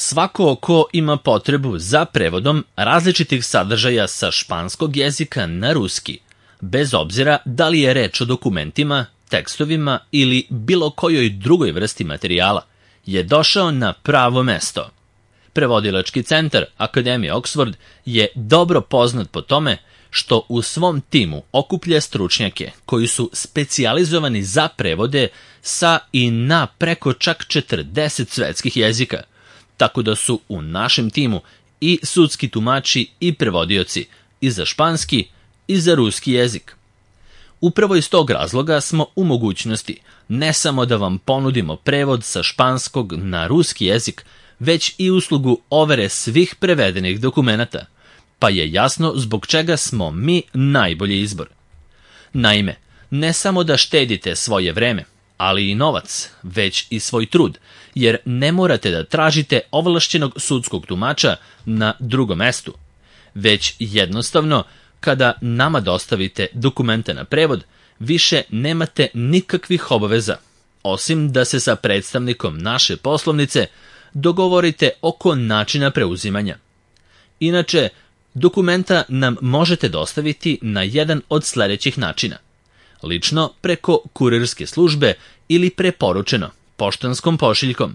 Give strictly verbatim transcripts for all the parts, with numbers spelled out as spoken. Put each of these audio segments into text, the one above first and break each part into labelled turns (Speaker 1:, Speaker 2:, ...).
Speaker 1: Svako ko ima potrebu za prevodom različitih sadržaja sa španskog jezika na ruski, bez obzira da li je reč o dokumentima, tekstovima ili bilo kojoj drugoj vrsti materijala, je došao na pravo mesto. Prevodilački centar Akademije Oxford je dobro poznat po tome što u svom timu okuplja stručnjake koji su specijalizovani za prevode sa i na preko čak četrdeset svetskih jezika, tako da su u našem timu i sudski tumači i prevodioci i za španski i za ruski jezik. Upravo iz tog razloga smo u mogućnosti ne samo da vam ponudimo prevod sa španskog na ruski jezik, već i uslugu overe svih prevedenih dokumenata, pa je jasno zbog čega smo mi najbolji izbor. Naime, ne samo da štedite svoje vreme, ali i novac, već i svoj trud, jer ne morate da tražite ovlašćenog sudskog tumača na drugom mestu, već jednostavno, kada nama dostavite dokumente na prevod, više nemate nikakvih obaveza, osim da se sa predstavnikom naše poslovnice dogovorite oko načina preuzimanja. Inače, dokumenta nam možete dostaviti na jedan od sledećih načina. Lično preko kurirske službe ili preporučeno poštanskom pošiljkom.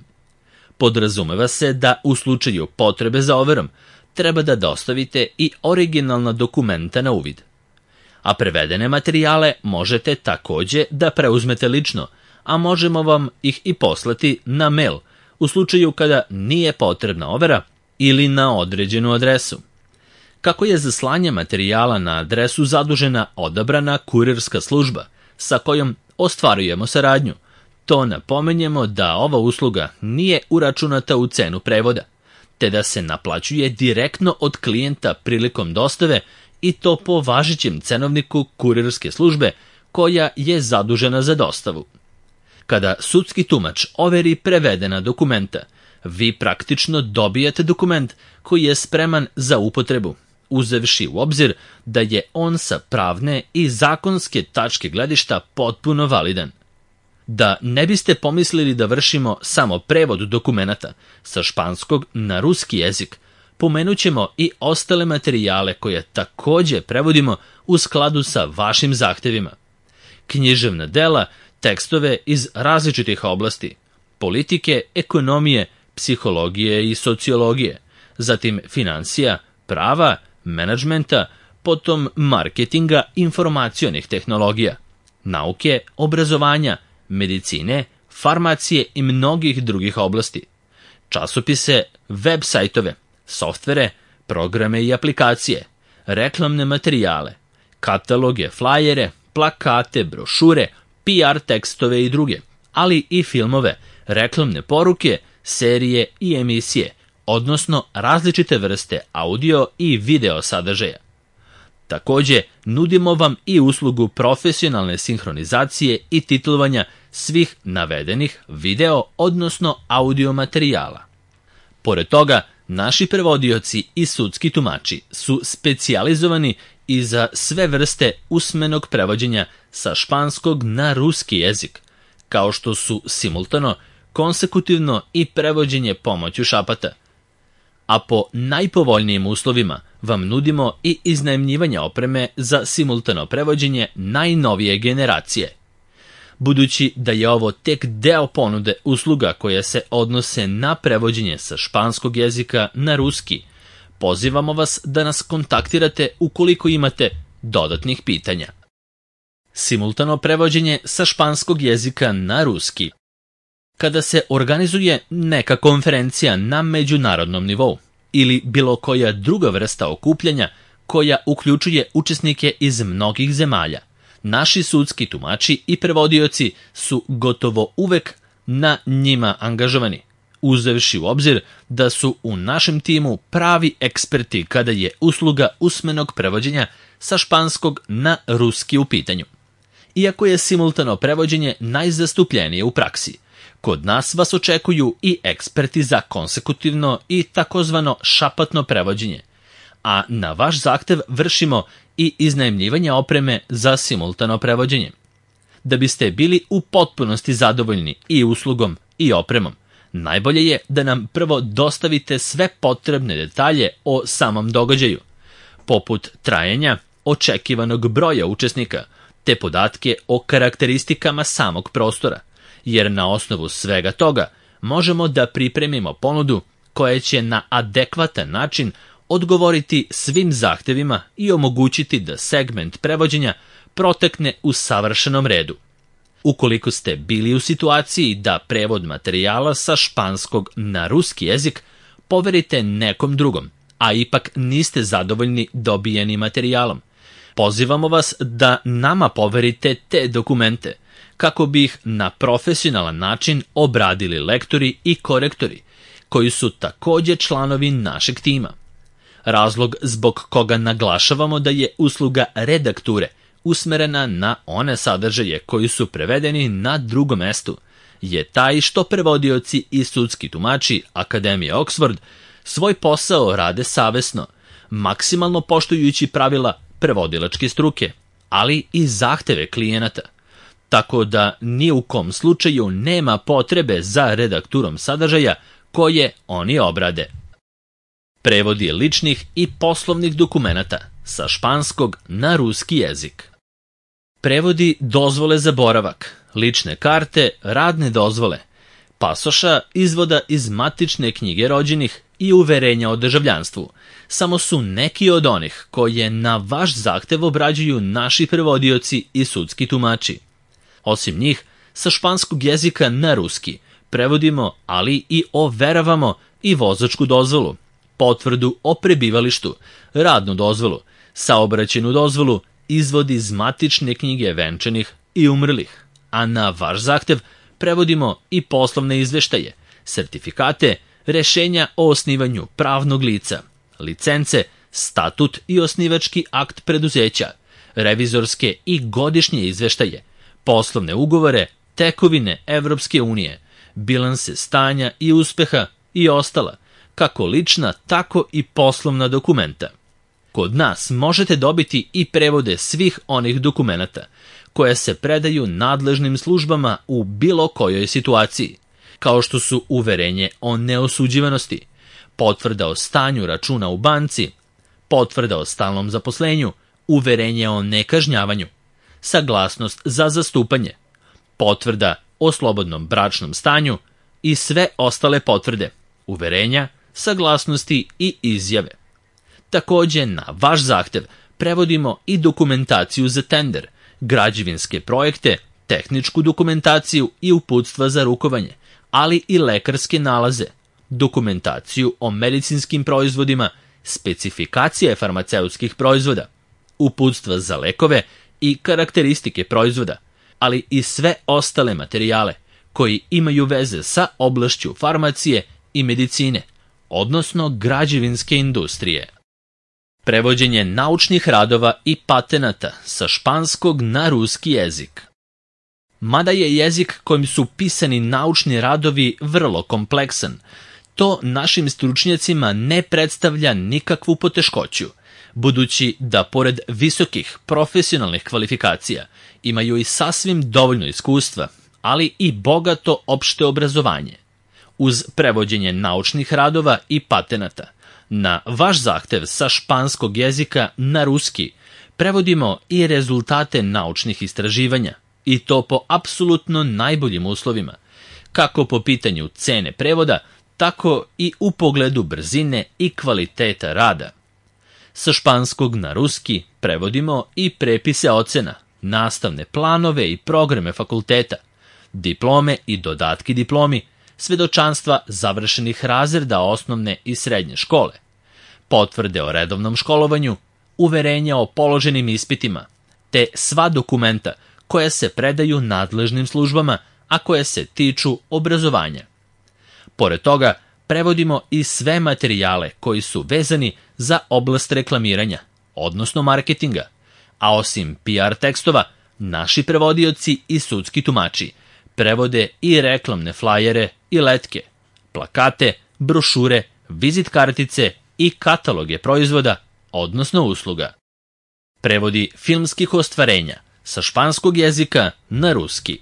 Speaker 1: Podrazumeva se da u slučaju potrebe za overom treba da dostavite i originalna dokumenta na uvid. A prevedene materijale možete takođe da preuzmete lično, a možemo vam ih i poslati na mail u slučaju kada nije potrebna overa ili na određenu adresu. Kako je za slanje materijala na adresu zadužena odabrana kurirska služba sa kojom ostvarujemo saradnju, to napomenjemo da ova usluga nije uračunata u cenu prevoda, te da se naplaćuje direktno od klijenta prilikom dostave i to po važećem cenovniku kurirske službe koja je zadužena za dostavu. Kada sudski tumač overi prevedena dokumenta, vi praktično dobijate dokument koji je spreman za upotrebu, uzevši u obzir da je on sa pravne i zakonske tačke gledišta potpuno validan. Da ne biste pomislili da vršimo samo prevod dokumenata sa španskog na ruski jezik, pomenut ćemo i ostale materijale koje takođe prevodimo u skladu sa vašim zahtevima. Književna dela, tekstove iz različitih oblasti, politike, ekonomije, psihologije i sociologije, zatim finansija, prava, menadžmenta, potom marketinga, informacionih tehnologija, nauke, obrazovanja, medicine, farmacije i mnogih drugih oblasti, časopise, web sajtove, softvere, programe i aplikacije, reklamne materijale, kataloge, flajere, plakate, brošure, P R tekstove i druge, ali i filmove, reklamne poruke, serije i emisije, odnosno različite vrste audio i video sadržaja. Takođe, nudimo vam i uslugu profesionalne sinhronizacije i titlovanja svih navedenih video, odnosno audio materijala. Pored toga, naši prevodioci i sudski tumači su specijalizovani i za sve vrste usmenog prevođenja sa španskog na ruski jezik, kao što su simultano, konsekutivno i prevođenje pomoću šapata. A po najpovoljnijim uslovima vam nudimo i iznajmljivanje opreme za simultano prevođenje najnovije generacije. Budući da je ovo tek deo ponude usluga koje se odnose na prevođenje sa španskog jezika na ruski, pozivamo vas da nas kontaktirate ukoliko imate dodatnih pitanja. Simultano prevođenje sa španskog jezika na ruski. Kada se organizuje neka konferencija na međunarodnom nivou ili bilo koja druga vrsta okupljanja koja uključuje učesnike iz mnogih zemalja, naši sudski tumači i prevodioci su gotovo uvek na njima angažovani, uzevši u obzir da su u našem timu pravi eksperti kada je usluga usmenog prevođenja sa španskog na ruski u pitanju. Iako je simultano prevođenje najzastupljenije u praksi, kod nas vas očekuju i eksperti za konsekutivno i takozvano šapatno prevođenje, a na vaš zahtev vršimo i iznajmljivanje opreme za simultano prevođenje. Da biste bili u potpunosti zadovoljni i uslugom i opremom, Najbolje je da nam prvo dostavite sve potrebne detalje o samom događaju, poput trajanja, očekivanog broja učesnika, te podatke o karakteristikama samog prostora, jer na osnovu svega toga možemo da pripremimo ponudu koja će na adekvatan način odgovoriti svim zahtevima i omogućiti da segment prevođenja protekne u savršenom redu. Ukoliko ste bili u situaciji da prevod materijala sa španskog na ruski jezik poverite nekom drugom, a ipak niste zadovoljni dobijenim materijalom, pozivamo vas da nama poverite te dokumente, kako bi ih na profesionalan način obradili lektori i korektori, koji su takođe članovi našeg tima. Razlog zbog koga naglašavamo da je usluga redakture usmerena na one sadržaje koji su prevedeni na drugom mestu je taj što prevodioci i sudski tumači Akademije Oxford svoj posao rade savesno, maksimalno poštujući pravila prevodilačke struke, ali i zahteve klijenata, tako da ni u kom slučaju nema potrebe za redakturom sadržaja koje oni obrade. Prevodi ličnih i poslovnih dokumenata sa španskog na ruski jezik. Prevodi dozvole za boravak, lične karte, radne dozvole, pasoša, izvoda iz matične knjige rođenih i uverenja o državljanstvu samo su neki od onih koje na vaš zahtev obrađuju naši prevodioci i sudski tumači. Osim njih, sa španskog jezika na ruski prevodimo, ali i overavamo i vozačku dozvolu, potvrdu o prebivalištu, radnu dozvolu, saobraćajnu dozvolu, izvod iz matične knjige venčanih i umrlih, a na vaš zahtev prevodimo i poslovne izveštaje, sertifikate, rešenja o osnivanju pravnog lica, licence, statut i osnivački akt preduzeća, revizorske i godišnje izveštaje, poslovne ugovore, tekovine Evropske unije, bilanse stanja i uspeha i ostala, kako lična, tako i poslovna dokumenta. Kod nas možete dobiti i prevode svih onih dokumenata koje se predaju nadležnim službama u bilo kojoj situaciji, kao što su uverenje o neosuđivanosti, potvrda o stanju računa u banci, potvrda o stalnom zaposlenju, uverenje o nekažnjavanju, saglasnost za zastupanje, potvrda o slobodnom bračnom stanju i sve ostale potvrde, uverenja, saglasnosti i izjave. Takođe, na vaš zahtev prevodimo i dokumentaciju za tender, građevinske projekte, tehničku dokumentaciju i uputstva za rukovanje, ali i lekarske nalaze, dokumentaciju o medicinskim proizvodima, specifikacije farmaceutskih proizvoda, uputstva za lekove i karakteristike proizvoda, ali i sve ostale materijale koji imaju veze sa oblašću farmacije i medicine, odnosno građevinske industrije. Prevođenje naučnih radova i patenata sa španskog na ruski jezik. Mada je jezik kojim su pisani naučni radovi vrlo kompleksan, to našim stručnjacima ne predstavlja nikakvu poteškoću, budući da pored visokih profesionalnih kvalifikacija imaju i sasvim dovoljno iskustva, ali i bogato opšte obrazovanje. Uz prevođenje naučnih radova i patenata, na vaš zahtev sa španskog jezika na ruski prevodimo i rezultate naučnih istraživanja, i to po apsolutno najboljim uslovima, kako po pitanju cene prevoda, tako i u pogledu brzine i kvaliteta rada. Sa španskog na ruski prevodimo i prepise ocena, nastavne planove i programe fakulteta, diplome i dodatki diplomi, svedočanstva završenih razreda osnovne i srednje škole, potvrde o redovnom školovanju, uverenja o položenim ispitima, te sva dokumenta koja se predaju nadležnim službama, a koje se tiču obrazovanja. Pored toga, prevodimo i sve materijale koji su vezani za oblast reklamiranja, odnosno marketinga, a osim P R tekstova, naši prevodioci i sudski tumači prevode i reklamne flajere i letke, plakate, brošure, vizit kartice i kataloge proizvoda, odnosno usluga. Prevodi filmskih ostvarenja sa španskog jezika na ruski.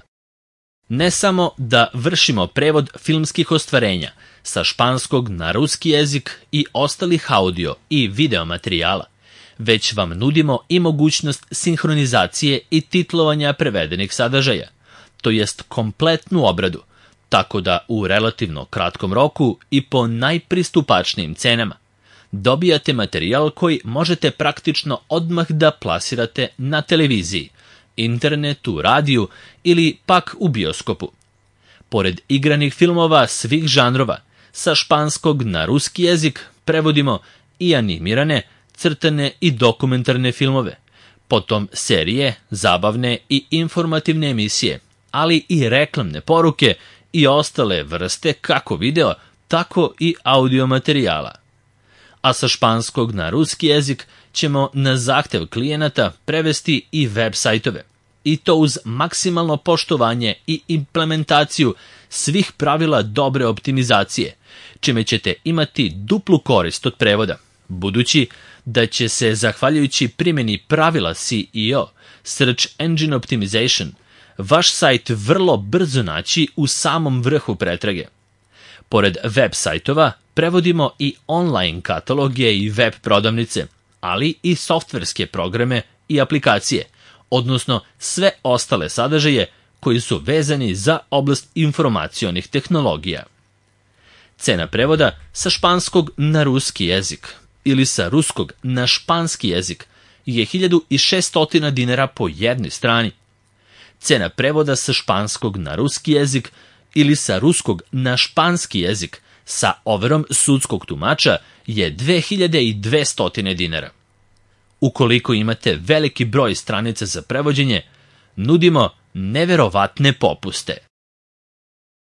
Speaker 1: Ne samo da vršimo prevod filmskih ostvarenja sa španskog na ruski jezik i ostalih audio i video materijala, već vam nudimo i mogućnost sinhronizacije i titlovanja prevedenih sadržaja, to jest kompletnu obradu, tako da u relativno kratkom roku i po najpristupačnijim cenama dobijate materijal koji možete praktično odmah da plasirate na televiziji, internetu, radiju ili pak u bioskopu. Pored igranih filmova svih žanrova, sa španskog na ruski jezik prevodimo i animirane, crtane i dokumentarne filmove, potom serije, zabavne i informativne emisije, ali i reklamne poruke i ostale vrste kako video, tako i audio materijala. A sa španskog na ruski jezik ćemo na zahtev klijenata prevesti i web sajtove, i to uz maksimalno poštovanje i implementaciju svih pravila dobre optimizacije, čime ćete imati duplu korist od prevoda, budući da će se, zahvaljujući primjeni pravila S E O, Search Engine Optimization, vaš sajt vrlo brzo naći u samom vrhu pretrage. Pored web sajtova, prevodimo i online kataloge i web prodavnice, ali i softverske programe i aplikacije, odnosno sve ostale sadržaje koji su vezani za oblast informacionih tehnologija. Cena prevoda sa španskog na ruski jezik ili sa ruskog na španski jezik je hiljadu šesto dinara po jednoj strani. Cena prevoda sa španskog na ruski jezik ili sa ruskog na španski jezik sa overom sudskog tumača je dve hiljade dvesta dinara. Ukoliko imate veliki broj stranica za prevođenje, nudimo neverovatne popuste.